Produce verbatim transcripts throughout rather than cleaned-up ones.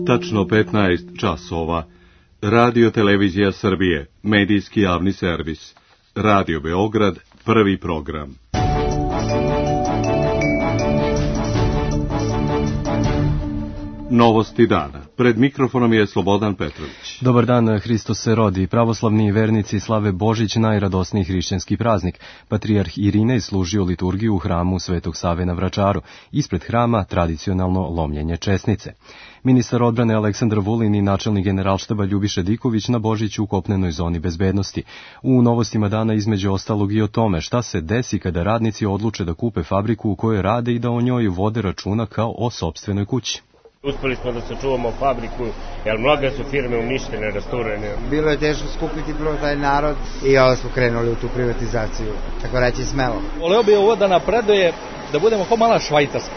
Tačno petnaest časova. Radio Televizija Srbije, medijski javni servis. Radio Beograd, prvi program. Novosti dana. Pred mikrofonom je Slobodan Petrović. Dobar dan, Hristos se rodi. Pravoslavni vernici slave Božić, najradosniji hrišćanski praznik. Patrijarh Irinej služio liturgiju u hramu Svetog Save na Vračaru. Ispred hrama tradicionalno lomljenje česnice. Ministar odbrane Aleksandar Vulin i načelnik generalštaba Ljubiša Diković na Božiću u kopnenoj zoni bezbednosti. U novostima dana između ostalog i o tome šta se desi kada radnici odluče da kupe fabriku u kojoj rade i da o njoj vode računa kao o sopstvenoj kući. Uspeli smo da sačuvamo fabriku, jer mnoge su firme uništene, rasturene. Bilo je teško skupiti prvo taj narod i onda smo krenuli u tu privatizaciju, tako reći smelo. Voleo bi ovo da napreduje, da budemo kao mala Švajcarska.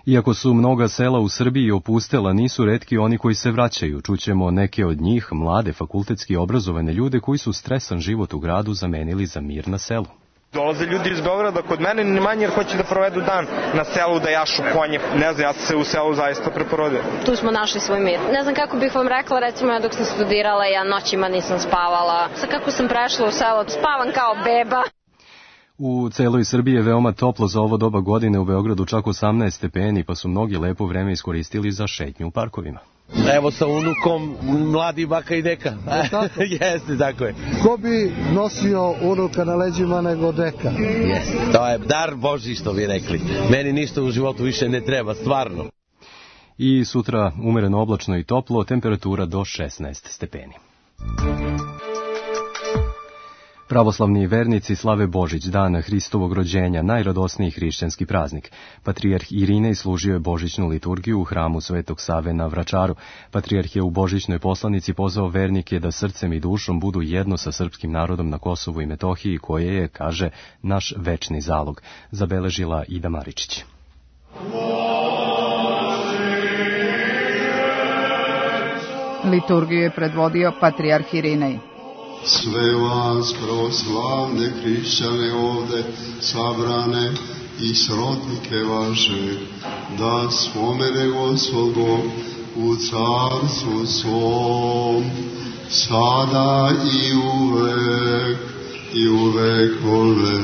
Iako su mnoga sela u Srbiji opustela, nisu retki oni koji se vraćaju. Čućemo neke od njih, mlade, fakultetski obrazovane ljude koji su stresan život u gradu zamenili za mir na selu. Dolaze ljudi iz Beograda kod mene, ni manje jer hoće da provedu dan na selu, da jašu konje. Ne znam, ja sam se u selu zaista preporodio. Tu smo našli svoj mir. Ne znam kako bih vam rekla, recimo ja dok sam studirala, ja noćima nisam spavala. Sad kako sam prešla u selo, spavam kao beba. U celoj Srbiji je veoma toplo za ovo doba godine, u Beogradu čak osamnaest stepeni, pa su mnogi lepo vreme iskoristili za šetnju u parkovima. Evo sa unukom, mladi baka i deka. Jeste, tako je. Ko bi nosio unuka na leđima nego deka? Jeste, to je dar Božji što bi rekli. Meni ništa u životu više ne treba, stvarno. I sutra umereno oblačno i toplo, temperatura do šesnaest stepeni. Pravoslavni vernici slave Božić, dana Hristovog rođenja, najradosniji hrišćanski praznik. Patrijarh Irinej služio je božićnu liturgiju u hramu Svetog Save na Vračaru. Patrijarh je u božićnoj poslanici pozvao vernike da srcem i dušom budu jedno sa srpskim narodom na Kosovu i Metohiji, koje je, kaže, naš večni zalog, zabeležila Ida Maričić. Liturgiju je predvodio Patrijarh Irinej. Sve vas pravoslavne hrišćane ovde sabrane i srodnike vaše, da spomene Gospod Bog u carstvu svom, sada i uvek i u vekove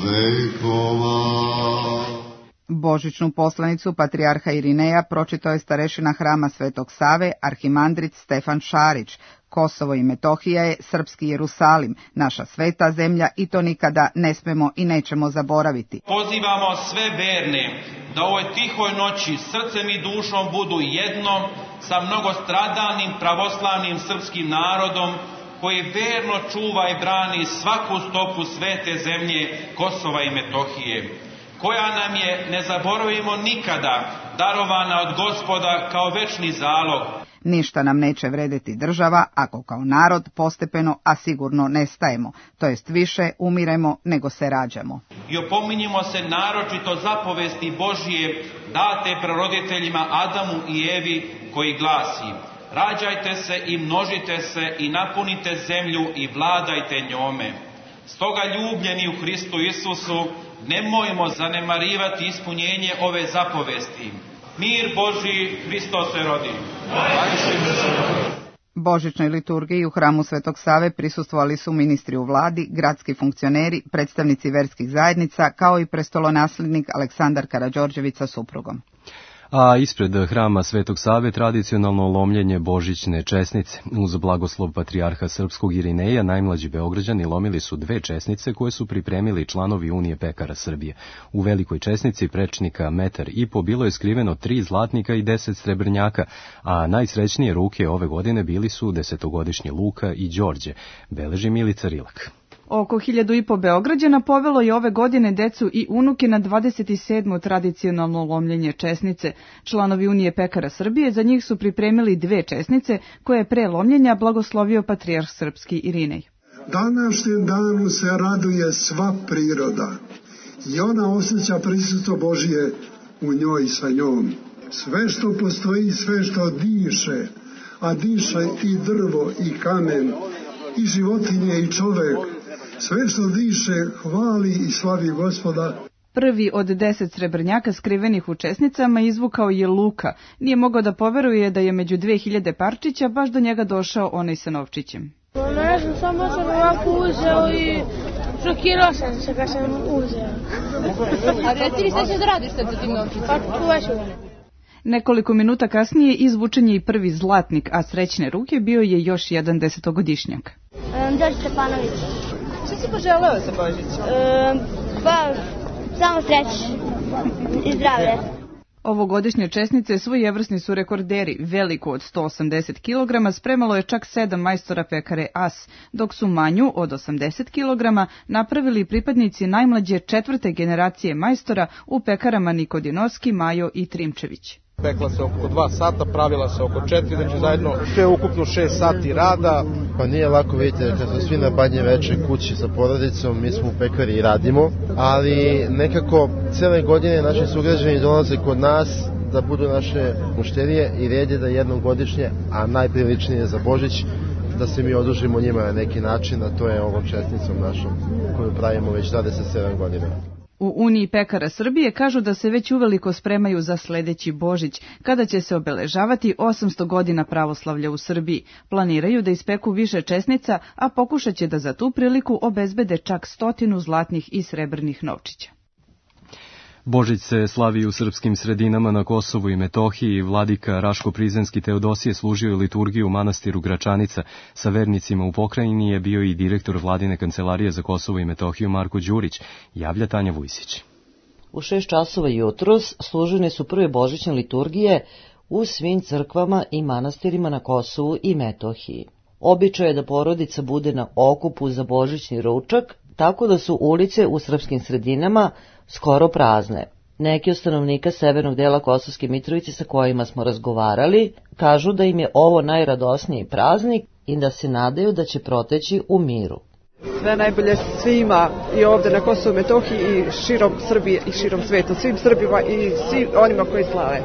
vekova. Božićnu poslanicu Patrijarha Irineja pročitao je starešina hrama Svetog Save, arhimandrit Stefan Šarić. Kosovo i Metohija je srpski Jerusalim, naša sveta zemlja i to nikada ne smemo i nećemo zaboraviti. Pozivamo sve verne da u ovoj tihoj noći srcem i dušom budu jedno sa mnogostradalnim pravoslavnim srpskim narodom koji verno čuva i brani svaku stopu svete zemlje Kosova i Metohije, koja nam je, ne zaboravimo nikada, darovana od Gospoda kao večni zalog. Ništa nam neće vredeti država ako kao narod postepeno, a sigurno nestajemo, to jest više umiremo nego se rađamo. I opominjimo se naročito zapovesti Božije date praroditeljima Adamu i Evi, koji glasi: rađajte se i množite se i napunite zemlju i vladajte njome. Stoga, ljubljeni u Hristu Isusu, nemojmo zanemarivati ispunjenje ove zapovesti. Mir Božji, Hristos se rodi. Božićnoj liturgiji u hramu Svetog Save prisustvovali su ministri u vladi, gradski funkcioneri, predstavnici verskih zajednica, kao i prestolonaslednik Aleksandar Karađorđević sa suprugom. A ispred hrama Svetog Save tradicionalno lomljenje božićne česnice. Uz blagoslov patrijarha srpskog Irineja, najmlađi Beograđani lomili su dve česnice koje su pripremili članovi Unije pekara Srbije. U velikoj česnici prečnika metar i po bilo je skriveno tri zlatnika i deset srebrnjaka, a najsrećnije ruke ove godine bili su desetogodišnji Luka i Đorđe, beleži Milica Rilak. Oko hiljadu i po Beograđana povelo je ove godine decu i unuke na dvadeset sedmo tradicionalno lomljenje česnice. Članovi Unije pekara Srbije za njih su pripremili dve česnice koje je pre lomljenja blagoslovio patrijarh srpski Irinej. Današnjem danu se raduje sva priroda i ona osjeća prisustvo Božije u njoj sa njom. Sve što postoji, sve što diše, a diše i drvo i kamen, i životinje i čovek, sve što diše hvali i slavi Gospoda. Prvi od deset srebrnjaka skrivenih u česnicama izvukao je Luka. Nije mogao da poveruje da je među dve hiljade parčića baš do njega došao onaj sa novčićem. Ne znam, samo sam ovako uzeo i šokirao sam se kad sam uzeo. A reci mi šta ćeš da radiš sad sa tim novčicom? Pa čuvaću ga. Nekoliko minuta kasnije izvučen je i prvi zlatnik, a srećne ruke bio je još jedan desetogodišnjak. Um, Đorđe Stepanović. Šta si poželeo za Božić? Um, pa, samo sreće i zdravlje. Ovogodišnje česnice svojevrsni su rekorderi. Veliku od sto osamdeset kilograma spremalo je čak sedam majstora pekare As, dok su manju od osamdeset kilograma napravili pripadnici najmlađe četvrte generacije majstora u pekarama Nikodinovski, Majo i Trimčević. Pekla se oko dva sata, pravila se oko četiri, znači zajedno sve ukupno šest sati rada. Pa nije lako, vidite, kad smo svi na Badnje veče kući sa porodicom, mi smo u pekari i radimo, ali nekako cele godine naši sugrađani dolaze kod nas da budu naše mušterije i red je da jednom godišnje, a najpriličnije za Božić, da se mi odužimo njima na neki način, a to je ovom česnicom našom koju pravimo već dvadeset sedam godina. U Uniji pekara Srbije kažu da se već uveliko spremaju za sledeći Božić, kada će se obeležavati osamsto godina pravoslavlja u Srbiji. Planiraju da ispeku više česnica, a pokušat će da za tu priliku obezbede čak stotinu zlatnih i srebrnih novčića. Božić se slavi u srpskim sredinama na Kosovu i Metohiji. Vladika Raško-Prizrenski Teodosije služio je liturgiju u manastiru Gračanica. Sa vernicima u pokrajini je bio i direktor Vladine kancelarije za Kosovo i Metohiju Marko Đurić, javlja Tanja Vujsić. U šest časova jutros služene su prve božićne liturgije u svim crkvama i manastirima na Kosovu i Metohiji. Običaj je da porodica bude na okupu za božićni ručak, tako da su ulice u srpskim sredinama skoro prazne. Neki od stanovnika severnog dela Kosovske Mitrovice sa kojima smo razgovarali kažu da im je ovo najradosniji praznik i da se nadaju da će proteći u miru. Sve najbolje svima i ovde na Kosovu i Metohiji i širom Srbije i širom sveta, svim Srbima i svim onima koji slave.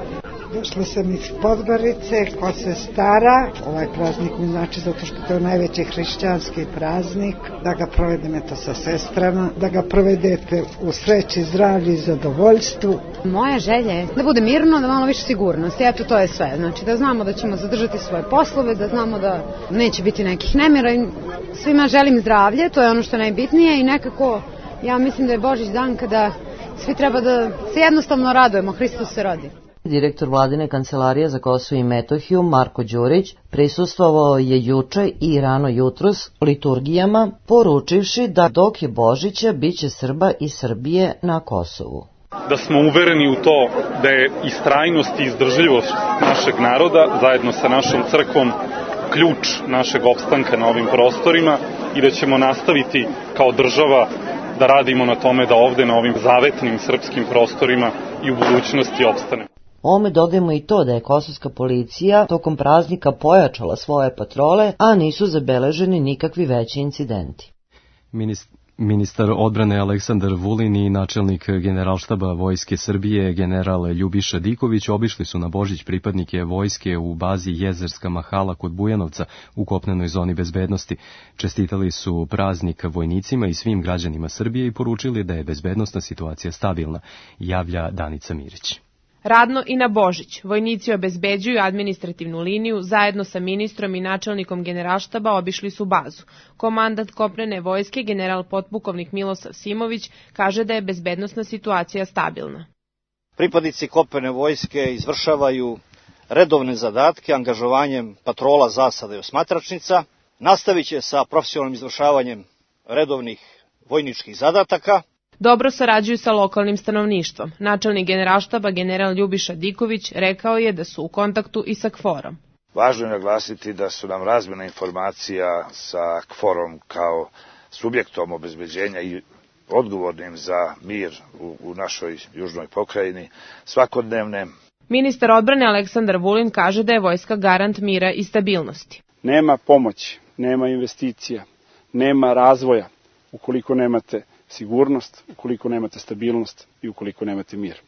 Došla sam iz Podgorice, ko se stara. Ovaj praznik mi znači zato što to je najveći hrišćanski praznik, da ga provedete sa sestrama, da ga provedete u sreći, zdravlju i zadovoljstvu. Moja želja je da bude mirno, da malo više sigurnosti, eto to je sve. Znači da znamo da ćemo zadržati svoje poslove, da znamo da neće biti nekih nemira i svima želim zdravlje, to je ono što je najbitnije i nekako ja mislim da je Božić dan kada svi treba da se jednostavno radujemo, Hristos se rodi. Direktor Vladine kancelarije za Kosovo i Metohiju Marko Đurić prisustvovao je juče i rano jutros liturgijama, poručivši da dok je Božića biće Srba i Srbije na Kosovu. Da smo uvereni u to da je istrajnost i izdržljivost našeg naroda zajedno sa našom crkvom ključ našeg opstanka na ovim prostorima i da ćemo nastaviti kao država da radimo na tome da ovde na ovim zavetnim srpskim prostorima i u budućnosti opstane. Ome dodajemo i to da je kosovska policija tokom praznika pojačala svoje patrole, a nisu zabeleženi nikakvi veći incidenti. Minist... Ministar odbrane Aleksandar Vulin i načelnik Generalštaba Vojske Srbije general Ljubiša Diković obišli su na Božić pripadnike vojske u bazi Jezerska Mahala kod Bujanovca u kopnenoj zoni bezbednosti. Čestitali su praznik vojnicima i svim građanima Srbije i poručili da je bezbednosna situacija stabilna, javlja Danica Mirić. Radno i na Božić. Vojnici obezbeđuju administrativnu liniju, zajedno sa ministrom i načelnikom Generalštaba obišli su bazu. Komandant kopnene vojske, general potpukovnik Milosav Simović, kaže da je bezbednosna situacija stabilna. Pripadnici kopnene vojske izvršavaju redovne zadatke angažovanjem patrola, zasada i osmatračnica. Nastavit će sa profesionalnim izvršavanjem redovnih vojničkih zadataka. Dobro sarađuju sa lokalnim stanovništvom. Načelnik Generalštaba general Ljubiša Diković rekao je da su u kontaktu i sa KFOR-om. Važno je naglasiti da su nam razmjena informacija sa KFOR-om kao subjektom obezbeđenja i odgovornim za mir u, u našoj južnoj pokrajini svakodnevne. Ministar odbrane Aleksandar Vulin kaže da je vojska garant mira i stabilnosti. Nema pomoći, nema investicija, nema razvoja ukoliko nemate sigurnost, ukoliko nemate stabilnost i ukoliko nemate mir.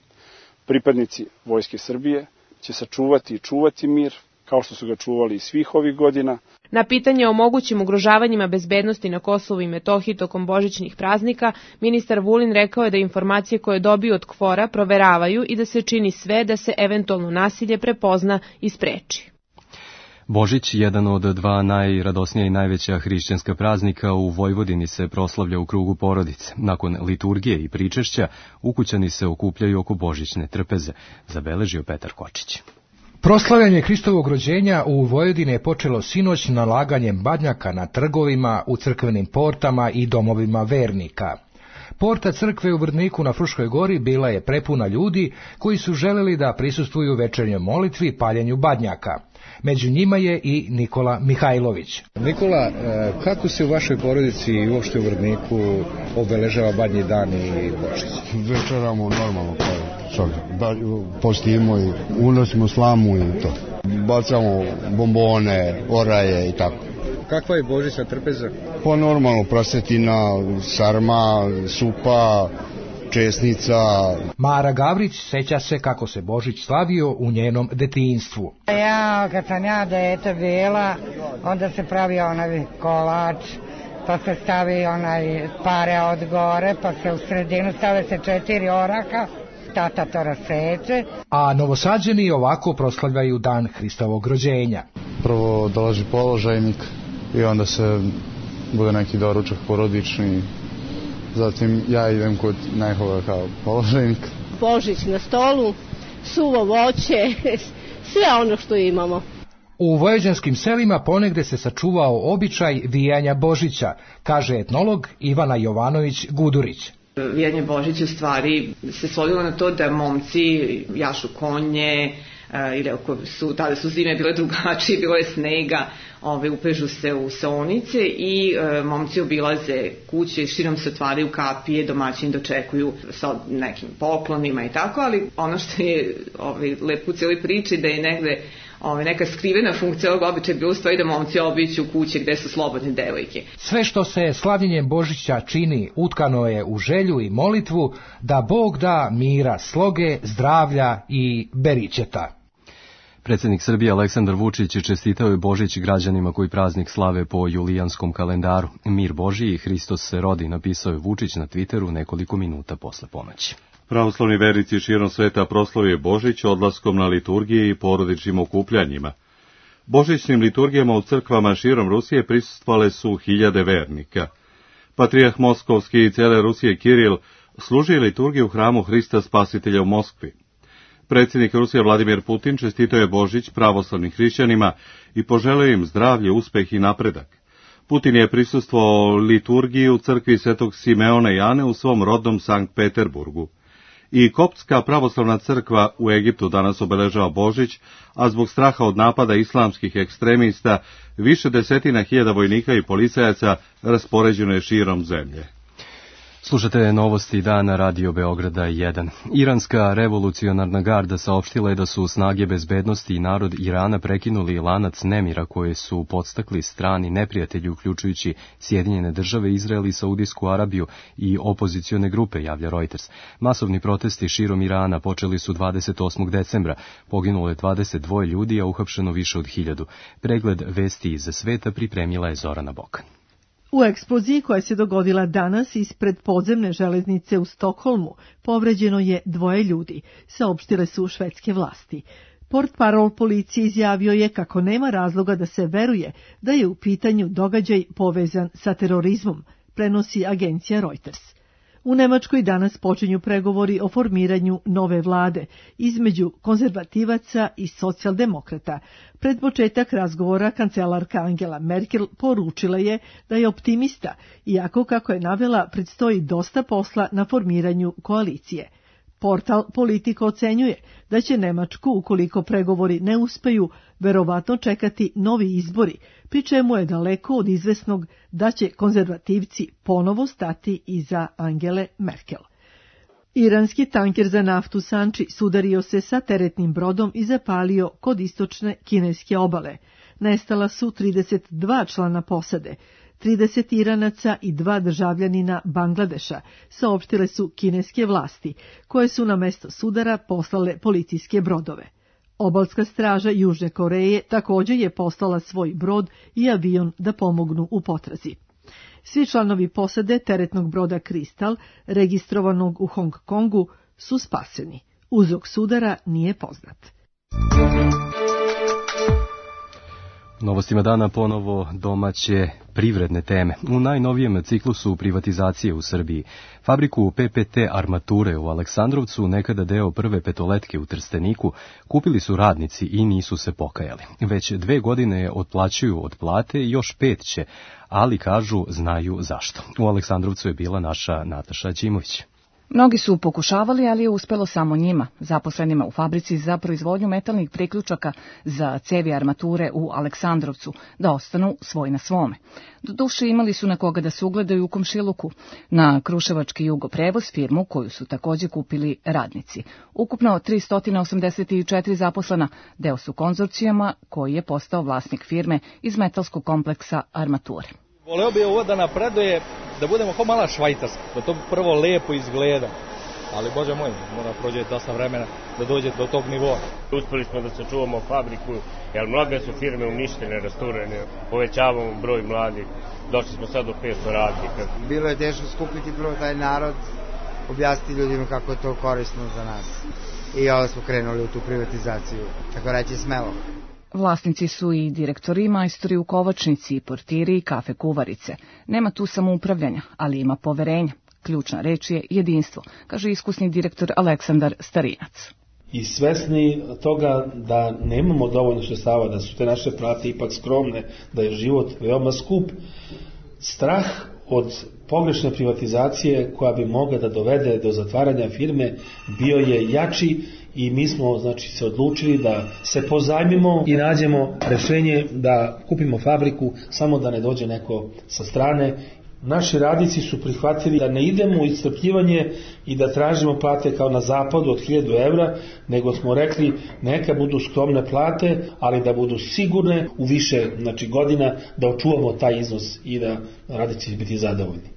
Pripadnici Vojske Srbije će sačuvati i čuvati mir kao što su ga čuvali i svih ovih godina. Na pitanje o mogućim ugrožavanjima bezbednosti na Kosovu i Metohiji tokom božićnih praznika, ministar Vulin rekao je da informacije koje dobiju od KFOR-a proveravaju i da se čini sve da se eventualno nasilje prepozna i spreči. Božić, jedan od dva najradosnija i najveća hrišćanska praznika u Vojvodini, se proslavlja u krugu porodice. Nakon liturgije i pričešća, ukućani se okupljaju oko božićne trpeze, zabeležio Petar Kočić. Proslavljanje Hristovog rođenja u Vojvodini je počelo sinoć nalaganjem badnjaka na trgovima, u crkvenim portama i domovima vernika. Porta crkve u Vrdniku na Fruškoj gori bila je prepuna ljudi koji su želeli da prisustvuju večernjoj molitvi paljenju badnjaka. Među njima je i Nikola Mihajlović. Nikola, kako se u vašoj porodici i uopšte u Vrdniku obeležava badnji dan i Božić? Večeramo normalno kao čovjek. Postimo i unosimo slamu i to. Bacamo bombone, oraje i tako. Kakva je božićna trpeza? Pa normalno, prasetina, sarma, supa, česnica. Mara Gavrić seća se kako se Božić slavio u njenom detinjstvu. Ja, kad sam ja dete bila, onda se pravio onaj kolač, pa se stavi onaj pare od gore, pa se u sredinu stave se četiri oraka, tata to raseče. A Novosađeni ovako proslavljaju dan Hristovog rođenja. Prvo dolazi položajnik i onda se bude neki doručak porodični. Zatim ja idem kod najhova kao položajnik. Božić na stolu, suvo voće, sve ono što imamo. U vojvođanskim selima ponegde se sačuvao običaj vijanja Božića, kaže etnolog Ivana Jovanović Gudurić. Vijanje Božića u stvari se svodilo na to da momci jašu konje, ili ako su, tada su zime bile drugačije, bilo je snega, ove, upežu se u saonice i e, momci obilaze kuće, širom se otvaraju kapije, domaćini dočekuju sa nekim poklonima i tako, ali ono što je ove, lepo u cijeloj priči da je negde ove, neka skrivena funkcija ovog običaja bilo u stvari da momci obiću kuće gde su slobodne devojke. Sve što se slavljenjem Božića čini utkano je u želju i molitvu da Bog da mira, sloge, zdravlja i beričeta. Predsjednik Srbije Aleksandar Vučić čestitao je Božić građanima koji praznik slave po julijanskom kalendaru. Mir Božiji, Hristos se rodi, napisao je Vučić na Twitteru nekoliko minuta posle ponoći. Pravoslavni vernici širom sveta proslavio je Božić odlaskom na liturgije i porodičnim okupljanjima. Božićnim liturgijama u crkvama širom Rusije prisustvovale su hiljade vernika. Patrijarh Moskovski i cijele Rusije Kiril služi liturgiju u hramu Hrista Spasitelja u Moskvi. Predsjednik Rusije Vladimir Putin čestitao je Božić pravoslavnim hrišćanima i poželio im zdravlje, uspeh i napredak. Putin je prisustvovao liturgiji u crkvi Svetog Simeona i Ane u svom rodnom Sankt Peterburgu. I Koptska pravoslavna crkva u Egiptu danas obeležava Božić, a zbog straha od napada islamskih ekstremista više desetina hiljada vojnika i policajaca raspoređeno je širom zemlje. Slušate novosti dana Radio Beograda jedan. Iranska revolucionarna garda saopštila je da su snage bezbednosti i narod Irana prekinuli lanac nemira koje su podstakli strani neprijatelji, uključujući Sjedinjene države, Izrael i Saudijsku Arabiju i opozicione grupe, javlja Reuters. Masovni protesti širom Irana počeli su dvadeset osmog decembra. Poginulo je dvadeset dva ljudi, a uhapšeno više od hiljadu. Pregled vesti iz sveta pripremila je Zorana Bokan. U eksploziji koja se dogodila danas ispred podzemne železnice u Stokholmu povređeno je dvoje ljudi, saopštile su švedske vlasti. Portparol policije izjavio je kako nema razloga da se veruje da je u pitanju događaj povezan sa terorizmom, prenosi agencija Reuters. U Nemačkoj danas počinju pregovori o formiranju nove vlade između konzervativaca i socijaldemokrata. Pred početak razgovora kancelarka Angela Merkel poručila je da je optimista, iako, kako je navela, predstoji dosta posla na formiranju koalicije. Portal Politico ocenjuje da će Nemačku, ukoliko pregovori ne uspeju, verovatno čekati novi izbori, pri čemu je daleko od izvesnog da će konzervativci ponovo stati iza Angele Merkel. Iranski tanker za naftu Sanči sudario se sa teretnim brodom i zapalio kod istočne kineske obale. Nestala su trideset dva člana posade, trideset Iranaca i dva državljanina Bangladeša, saopštile su kineske vlasti, koje su na mesto sudara poslale policijske brodove. Obalska straža Južne Koreje također je poslala svoj brod i avion da pomognu u potrazi. Svi članovi posade teretnog broda Kristal, registrovanog u Hong Kongu, su spaseni. Uzrok sudara nije poznat. Novostima dana ponovo domaće privredne teme. U najnovijem ciklusu privatizacije u Srbiji fabriku P P T armature u Aleksandrovcu, nekada deo prve petoletke u Trsteniku, kupili su radnici i nisu se pokajali. Već dve godine otplaćuju od plate i još pet će, ali kažu znaju zašto. U Aleksandrovcu je bila naša Nataša Ćimović. Mnogi su pokušavali, ali je uspelo samo njima, zaposlenima u fabrici za proizvodnju metalnih priključaka za cevi armature u Aleksandrovcu, da ostanu svoj na svome. Doduše imali su na koga da se ugledaju u komšiluku, na Kruševački Jugoprevoz, firmu koju su također kupili radnici. Ukupno tristo osamdeset četiri zaposlena, deo su konzorcijama koji je postao vlasnik firme iz metalskog kompleksa armature. Voleo bi ovo da napreduje, da budemo kao mala Švajcarska, da to prvo lepo izgleda, ali Bože moj, mora prođe dosta vremena da dođe do tog nivoa. Uspeli smo da sačuvamo fabriku, jer mnoge su firme uništene, rasturene, povećavamo broj mladih, došli smo sad do petsto radnika. Bilo je teško skupiti prvo taj narod, objasniti ljudima kako je to korisno za nas. I ovo smo krenuli u tu privatizaciju, tako reći smelo. Vlasnici su i direktori i majstori u kovačnici, portiri i kafe kuvarice. Nema tu samoupravljanja, ali ima poverenja. Ključna reč je jedinstvo, kaže iskusni direktor Aleksandar Starinac. I svesni toga da nemamo dovoljno sredstava, da su te naše plate ipak skromne, da je život veoma skup, strah od pogrešne privatizacije koja bi mogla da dovede do zatvaranja firme bio je jači i mi smo znači se odlučili da se pozajmimo i nađemo rešenje da kupimo fabriku samo da ne dođe neko sa strane. Naši radnici su prihvatili da ne idemo u iscrpljivanje i da tražimo plate kao na zapadu od hiljadu evra, nego smo rekli neka budu skromne plate, ali da budu sigurne u više znači, godina da očuvamo taj iznos i da radnici biti zadovoljni.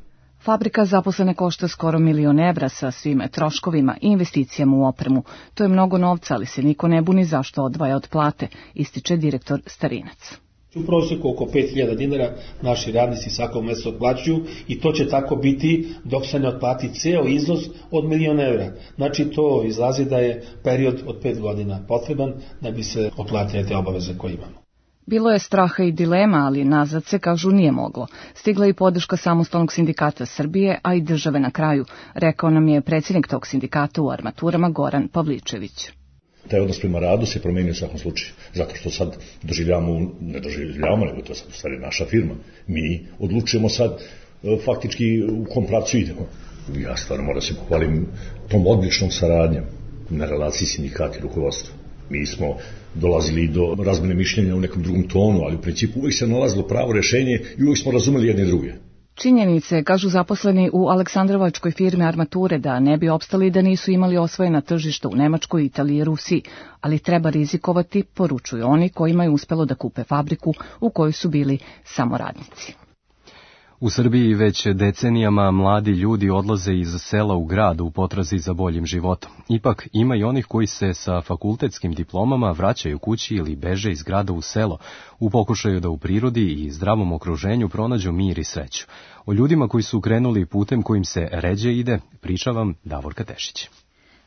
Fabrika zaposlene košta skoro milion evra sa svim troškovima i investicijama u opremu. To je mnogo novca, ali se niko ne buni zašto odvaja od plate, ističe direktor Starinac. U prosjeku oko pet hiljada dinara naši radnici svakog mjeseca otplaćuju i to će tako biti dok se ne otplati ceo iznos od milion evra. Znači to izlazi da je period od pet godina potreban da bi se otplatile te obaveze koje imamo. Bilo je straha i dilema, ali nazad se, kažu, nije moglo. Stigla i podrška Samostalnog sindikata Srbije, a i države na kraju, rekao nam je predsjednik tog sindikata u armaturama Goran Pavličević. Taj odnos prema radu se promenio u svakom slučaju, zato što sad doživljavamo, ne doživljavamo, nego to je sad u stvari naša firma. Mi odlučujemo sad faktički u kom pravcu idemo. Ja stvarno moram se pohvalim tom odličnom saradnjom na relaciji sindikata i rukovodstva. Mi smo dolazili do razmene mišljenja u nekom drugom tonu, ali u principu uvijek se nalazilo pravo rješenje i uvijek smo razumeli jedne i druge. Činjenice, kažu zaposleni u Aleksandrovačkoj firmi armature, da ne bi opstali da nisu imali osvojena tržišta u Nemačkoj, Italiji i Rusiji, ali treba rizikovati, poručuju oni kojima je uspelo da kupe fabriku u kojoj su bili samo radnici. U Srbiji već decenijama mladi ljudi odlaze iz sela u grad u potrazi za boljim životom. Ipak ima i onih koji se sa fakultetskim diplomama vraćaju kući ili beže iz grada u selo, u pokušaju da u prirodi i zdravom okruženju pronađu mir i sreću. O ljudima koji su krenuli putem kojim se ređe ide, priča vam Davorka Tešić.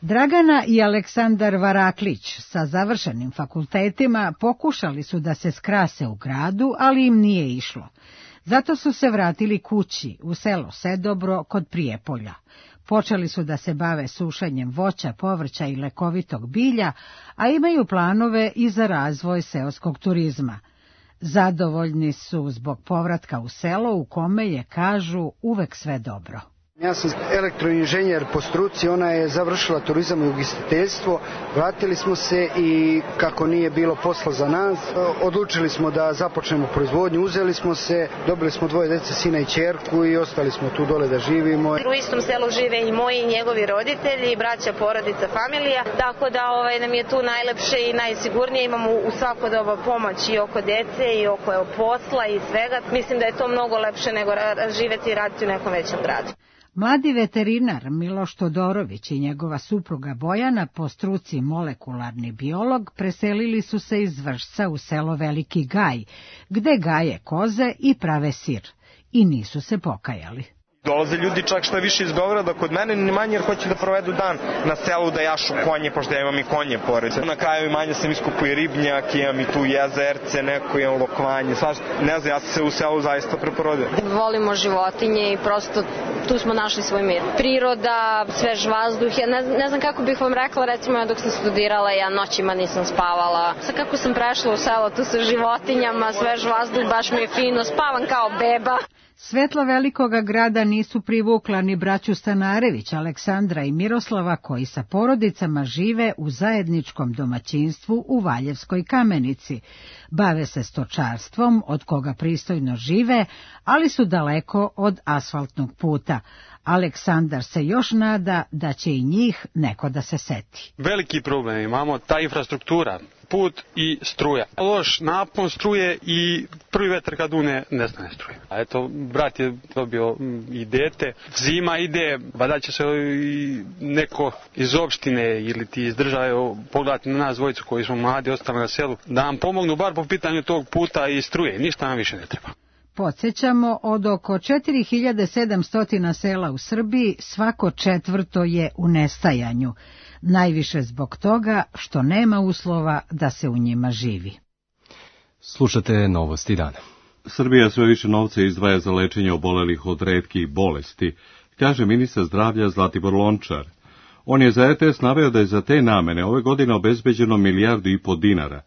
Dragana i Aleksandar Varaklić sa završenim fakultetima pokušali su da se skrase u gradu, ali im nije išlo. Zato su se vratili kući, u selo Sedobro kod Prijepolja. Počeli su da se bave sušenjem voća, povrća i lekovitog bilja, a imaju planove i za razvoj seoskog turizma. Zadovoljni su zbog povratka u selo u kome je, kažu, uvek sve dobro. Ja sam elektroinženjer po struci, ona je završila turizam i ugostiteljstvo. Vratili smo se i kako nije bilo posla za nas, odlučili smo da započnemo proizvodnju, uzeli smo se, dobili smo dvoje dece, sina i ćerku i ostali smo tu dole da živimo. U istom selu žive i moji i njegovi roditelji, braća, porodica, familija, tako da ovaj, nam je tu najlepše i najsigurnije, imamo u svako doba pomoć i oko dece i oko posla i svega. Mislim da je to mnogo lepše nego živeti i raditi u nekom većem gradu. Mladi veterinar Miloš Todorović i njegova supruga Bojana, po struci molekularni biolog, preselili su se iz Vršca u selo Veliki Gaj, gde gaje koze i prave sir. I nisu se pokajali. Dolaze ljudi čak šta više iz Beograda kod mene, ni manje jer hoće da provedu dan na selu, da jašu konje, pošto ja imam i konje pored. Na kraju imanja sam iskupio i ribnjak, imam i tu jezerce, neko imam lokvanje, svašta. Ne znam, ja sam se u selu zaista preporodio. Volimo životinje i prosto tu smo našli svoj mir. Priroda, svež vazduh, ja ne, ne znam kako bih vam rekla, recimo ja dok sam studirala, ja noćima nisam spavala. Sad kako sam prešla u selo, tu sa životinjama, svež vazduh, baš mi je fino, spavam kao beba. Svetla velikoga grada nisu privukla ni braću Stanarević, Aleksandra i Miroslava, koji sa porodicama žive u zajedničkom domaćinstvu u Valjevskoj Kamenici. Bave se stočarstvom, od koga pristojno žive, ali su daleko od asfaltnog puta. Aleksandar se još nada da će i njih neko da se seti. Veliki problem imamo, ta infrastruktura, put i struja. Loš napon struje i prvi vetar kad une nestane struje. A eto, brat je dobio i dete, zima ide, vada će se i neko iz opštine ili ti iz države pogledati na nas dvojicu koji smo mladi, ostali na selu, da nam pomognu bar po pitanju tog puta i struje. Ništa nam više ne treba. Podsjećamo, od oko četiri hiljade sedamsto sela u Srbiji svako četvrto je u nestajanju, najviše zbog toga što nema uslova da se u njima živi. Slušate Novosti dana. Srbija sve više novca izdvaja za lečenje obolelih od retkih bolesti, kaže ministar zdravlja Zlatibor Lončar. On je za er te es naveo da je za te namene ove godine obezbeđeno milijardu i po dinara.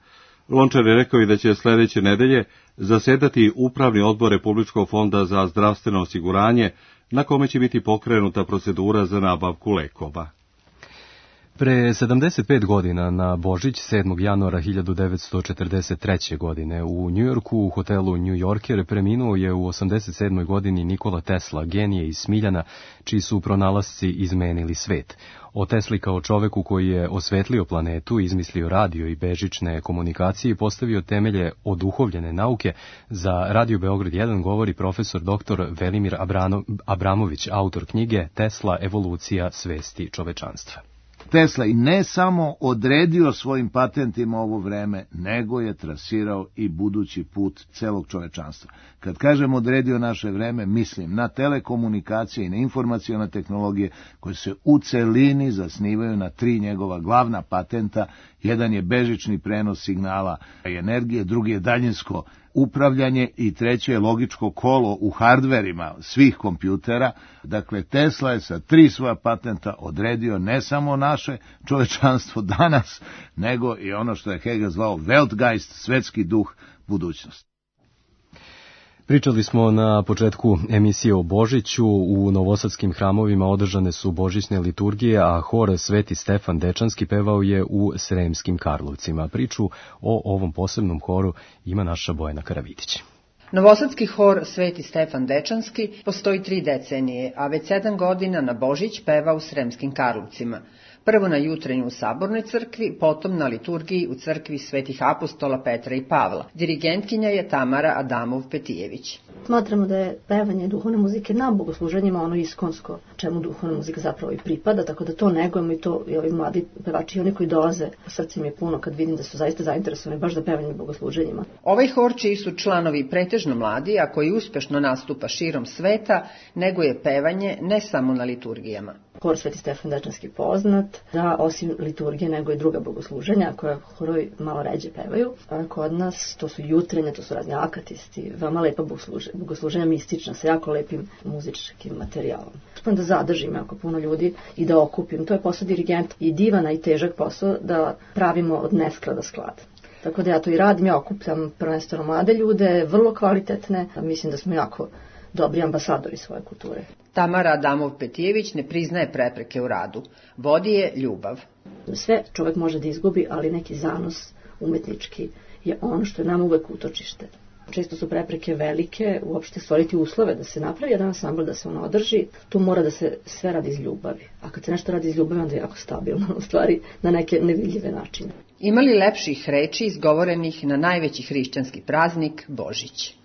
Lončar je rekao i da će sljedeće nedelje zasedati Upravni odbor Republičkog fonda za zdravstveno osiguranje, na kome će biti pokrenuta procedura za nabavku lekova. Pre sedamdeset pet godina na Božić, sedmog januara hiljadu devetsto četrdeset treće. godine, u Njujorku u hotelu New Yorker preminuo je u osamdeset sedmoj. godini Nikola Tesla, genije iz Smiljana, čiji su pronalasci izmenili svet. O Tesli kao čoveku koji je osvetlio planetu, izmislio radio i bežične komunikacije i postavio temelje oduhovljene nauke, za Radio Beograd jedan govori profesor doktor Velimir Abrano, Abramović, autor knjige Tesla, evolucija svesti čovečanstva. Tesla i ne samo odredio svojim patentima ovo vreme, nego je trasirao i budući put celog čovečanstva. Kad kažem odredio naše vreme, mislim na telekomunikacije i na informacione tehnologije koje se u celini zasnivaju na tri njegova glavna patenta. Jedan je bežični prenos signala i energije, drugi je daljinsko upravljanje i treće je logičko kolo u hardverima svih kompjutera. Dakle, Tesla je sa tri svoja patenta odredio ne samo naše čovečanstvo danas, nego i ono što je Hegel zvao Weltgeist, svetski duh, budućnost. Pričali smo na početku emisije o Božiću. U novosadskim hramovima održane su božićne liturgije, a hor Sveti Stefan Dečanski pevao je u Sremskim Karlovcima. Priču o ovom posebnom horu ima naša Bojana Karavidić. Novosadski hor Sveti Stefan Dečanski postoji tri decenije, a već sedam godina na Božić peva u Sremskim Karlovcima. Prvo na jutrenju u Sabornoj crkvi, potom na liturgiji u crkvi Svetih apostola Petra i Pavla. Dirigentkinja je Tamara Adamov-Petijević. Smatramo da je pevanje duhovne muzike na bogosluženjima ono iskonsko, čemu duhovna muzika zapravo i pripada, tako da to negujemo i to i ovi mladi pevači i oni koji dolaze, srce mi je puno kad vidim da su zaista zainteresovani baš za pevanje na bogosluženjima. Ovaj hor, čiji su članovi pretežno mladi, a koji uspešno nastupa širom sveta, neguje pevanje ne samo na liturgijama. Hor Sveti Stefan Dečanski poznat, da osim liturgije nego i druga bogosluženja koja horovi malo ređe pevaju. A kod nas to su jutrenje, to su razni akatisti, veoma lepa bogosluženja, bogosluženja mistična sa jako lepim muzičkim materijalom. Uspem da zadržim jako puno ljudi i da okupim. To je posao dirigenta i divana i težak posao da pravimo od nesklada sklad. Tako da ja to i radim, ja okupljam prvenstveno mlade ljude, vrlo kvalitetne, mislim da smo jako dobri ambasadori svoje kulture. Tamara Adamov-Petijević ne priznaje prepreke u radu. Vodi je ljubav. Sve čovjek može da izgubi, ali neki zanos umetnički je ono što je nama uvek utočište. Često su prepreke velike, uopšte stvoriti uslove da se napravi jedan ansambl, da se on održi. Tu mora da se sve radi iz ljubavi. A kad se nešto radi iz ljubavi, onda je jako stabilno, u stvari, na neke nevidljive načine. Ima li lepših reči izgovorenih na najveći hrišćanski praznik, Božić?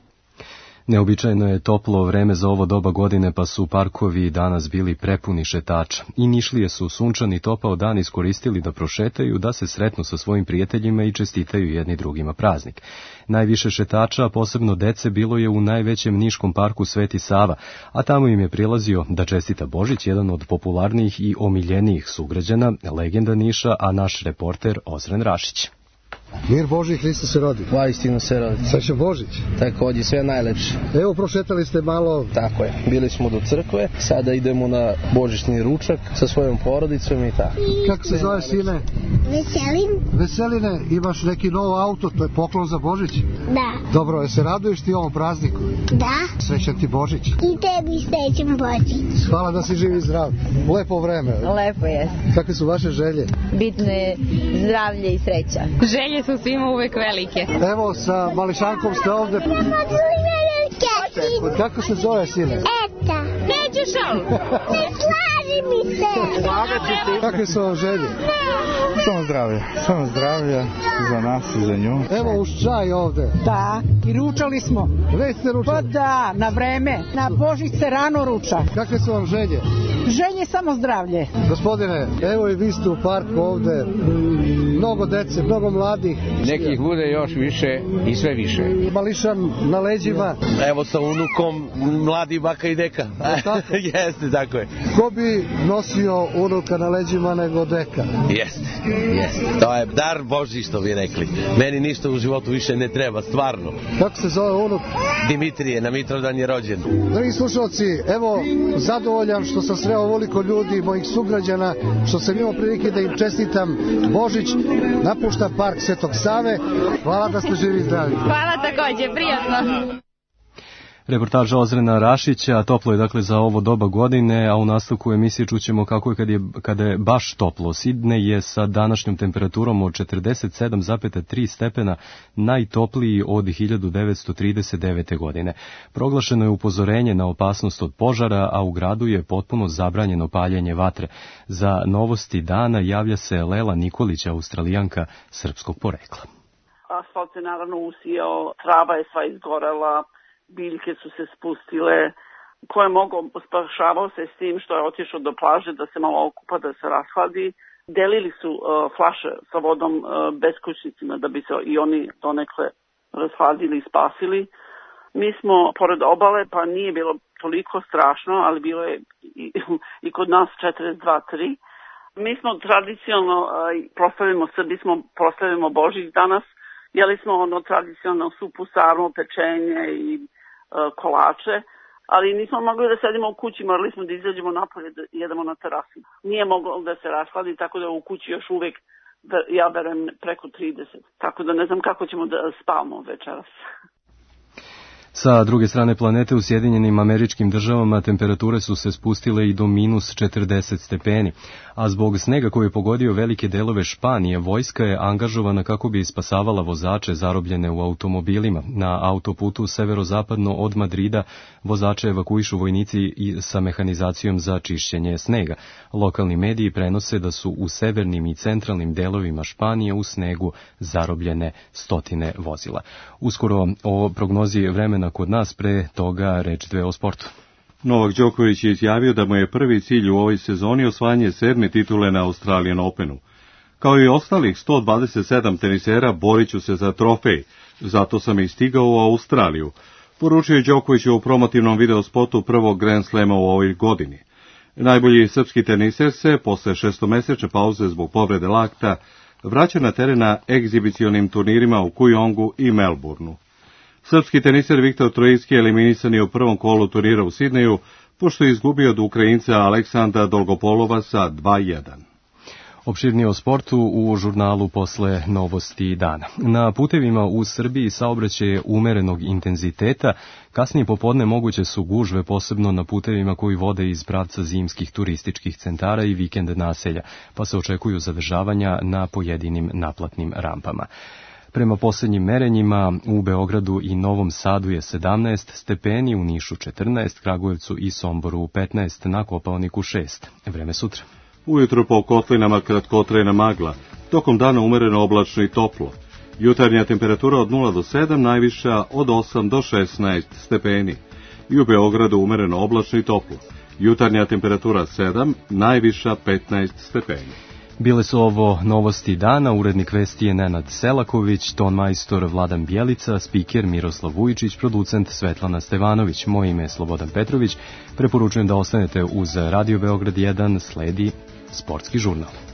Neobičajno je toplo vreme za ovo doba godine, pa su parkovi danas bili prepuni šetača. I Nišlije su sunčani topao dan iskoristili da prošetaju, da se sretnu sa svojim prijateljima i čestitaju jedni drugima praznik. Najviše šetača, posebno dece, bilo je u najvećem niškom parku Sveti Sava, a tamo im je prilazio da čestita Božić, jedan od popularnijih i omiljenijih sugrađana, legenda Niša, a naš reporter Ozren Rašić. Mir Božji, Hristos se rodi. Vaistinu se rodi. Srećan Božić. Takođe, sve najlepše. Evo, prošetali ste malo. Tako je, bili smo do crkve, sada idemo na božićni ručak sa svojom porodicom i tako. Kako se zove, sine? Veselin. Veseline, imaš neki novo auto, to je poklon za Božić? Da. Dobro, je se raduješ ti ovom prazniku? Da. Srećan ti Božić. I tebi srećan Božić. Hvala da si živ i zdrav. Lepo vreme. Lepo je. Kakve su vaše želje? Bitno je zdravlje i sreća. Želje su svima uvek velike. Evo, sa mališankom ste ovde. Kako se zove, sine? Eta. Neću šal. Ne slaži mi se. Kakve su vam želje? Samo zdravlje. Samo zdravlje za nas i za nju. Evo uz čaj ovde. Da, i ručali smo. Već ste ručali? Pa da, na vreme. Na Božić se rano ruča. Kakve su vam želje? Želje samo zdravlje. Gospodine, evo i vi ste u parku ovde. Mnogo dece, mnogo mladih. Nekih bude još više i sve više. Mališan na leđima. Evo sa unukom, mladi baka i deka. Jeste, tako je. Ko bi nosio unuka na leđima nego deka? Jeste, jeste. To je dar Božji, što bi rekli. Meni ništa u životu više ne treba, stvarno. Kako se zove unuk? Dimitrije, na Mitrovdan je rođen. Dragi slušalci, evo, zadovoljan što sam sreo ovoliko ljudi, mojih sugrađana, što sam imao prilike da im čestitam Božić. Napušta park Svetog Save. Hvala da ste živi i zdravi. Hvala takođe, prijatno. Reportaža Ozrena Rašića. Toplo je dakle za ovo doba godine, a u nastavku emisije čućemo kako je kad je, kada je baš toplo. Sidnej je sa današnjom temperaturom od četrdeset sedam zarez tri stepena najtopliji od hiljadu devetsto trideset devete. godine. Proglašeno je upozorenje na opasnost od požara, a u gradu je potpuno zabranjeno paljenje vatre. Za novosti dana javlja se Lela Nikolić, Australijanka srpskog porekla. Asfalt se naravno usijao, trava je sva izgorela, biljke su se spustile, ko je mogao spašavao se s tim što je otišao do plaže da se malo okupa, da se rashladi. Delili su uh, flaše sa vodom uh, beskućnicima da bi se i oni donekle rashladili i spasili. Mi smo pored obale, pa nije bilo toliko strašno, ali bilo je i, i kod nas četrdeset dva zarez tri. Mi smo tradicionalno uh, proslavimo Srbi, smo proslavimo Božić danas. Jeli smo ono tradicionalno supu, sarmu, pečenje i e, kolače, ali nismo mogli da sedimo u kući, morali smo da izađemo napolje da jedemo na terasi. Nije moglo da se rashladi, tako da u kući još uvek, ja verujem, preko trideset. Tako da ne znam kako ćemo da spavamo večeras. Sa druge strane planete u Sjedinjenim Američkim Državama temperature su se spustile i do minus četrdeset stepeni, a zbog snega koji je pogodio velike delove Španije, vojska je angažovana kako bi spasavala vozače zarobljene u automobilima. Na autoputu severozapadno od Madrida vozače evakuišu vojnici i sa mehanizacijom za čišćenje snega. Lokalni mediji prenose da su u severnim i centralnim delovima Španije u snegu zarobljene stotine vozila. Uskoro o prognozi vremena kod nas, pre toga reč dve o sportu. Novak Đoković je izjavio da mu je prvi cilj u ovoj sezoni osvajanje sedme titule na Australian Openu. Kao i ostalih sto dvadeset sedam tenisera, borit ću se za trofej, zato sam i stigao u Australiju, poručio je Đoković u promotivnom videospotu prvog Grand Slema u ovoj godini. Najbolji srpski teniser se, posle šestomesečne pauze zbog povrede lakta, vraća na teren na egzibicionim turnirima u Kujongu i Melbourneu. Srpski teniser Viktor Trojicki eliminisan je u prvom kolu turnira u Sidneju, pošto je izgubio od Ukrajinca Aleksandra Dolgopolova sa dva jedan. Opširnije o sportu u žurnalu posle novosti dana. Na putevima u Srbiji saobraćaj je umerenog intenziteta, kasnije popodne moguće su gužve, posebno na putevima koji vode iz pravca zimskih turističkih centara i vikend naselja, pa se očekuju zadržavanja na pojedinim naplatnim rampama. Prema posljednjim merenjima u Beogradu i Novom Sadu je sedamnaest stepeni, u Nišu četrnaest, Kragujevcu i Somboru petnaest, na Kopaoniku šest. Vreme sutra. Ujutro po kotlinama kratkotrajna magla, tokom dana umereno oblačno i toplo. Jutarnja temperatura od nula do sedam, najviša od osam do šesnaest stepeni. I u Beogradu umereno oblačno i toplo. Jutarnja temperatura sedam, najviša petnaest stepeni. Bile su ovo novosti dana, urednik vesti je Nenad Selaković, ton majstor Vladan Bjelica, spiker Miroslav Vujičić, producent Svetlana Stevanović. Moje ime je Slobodan Petrović. Preporučujem da ostanete uz Radio Beograd jedan, sledi sportski žurnal.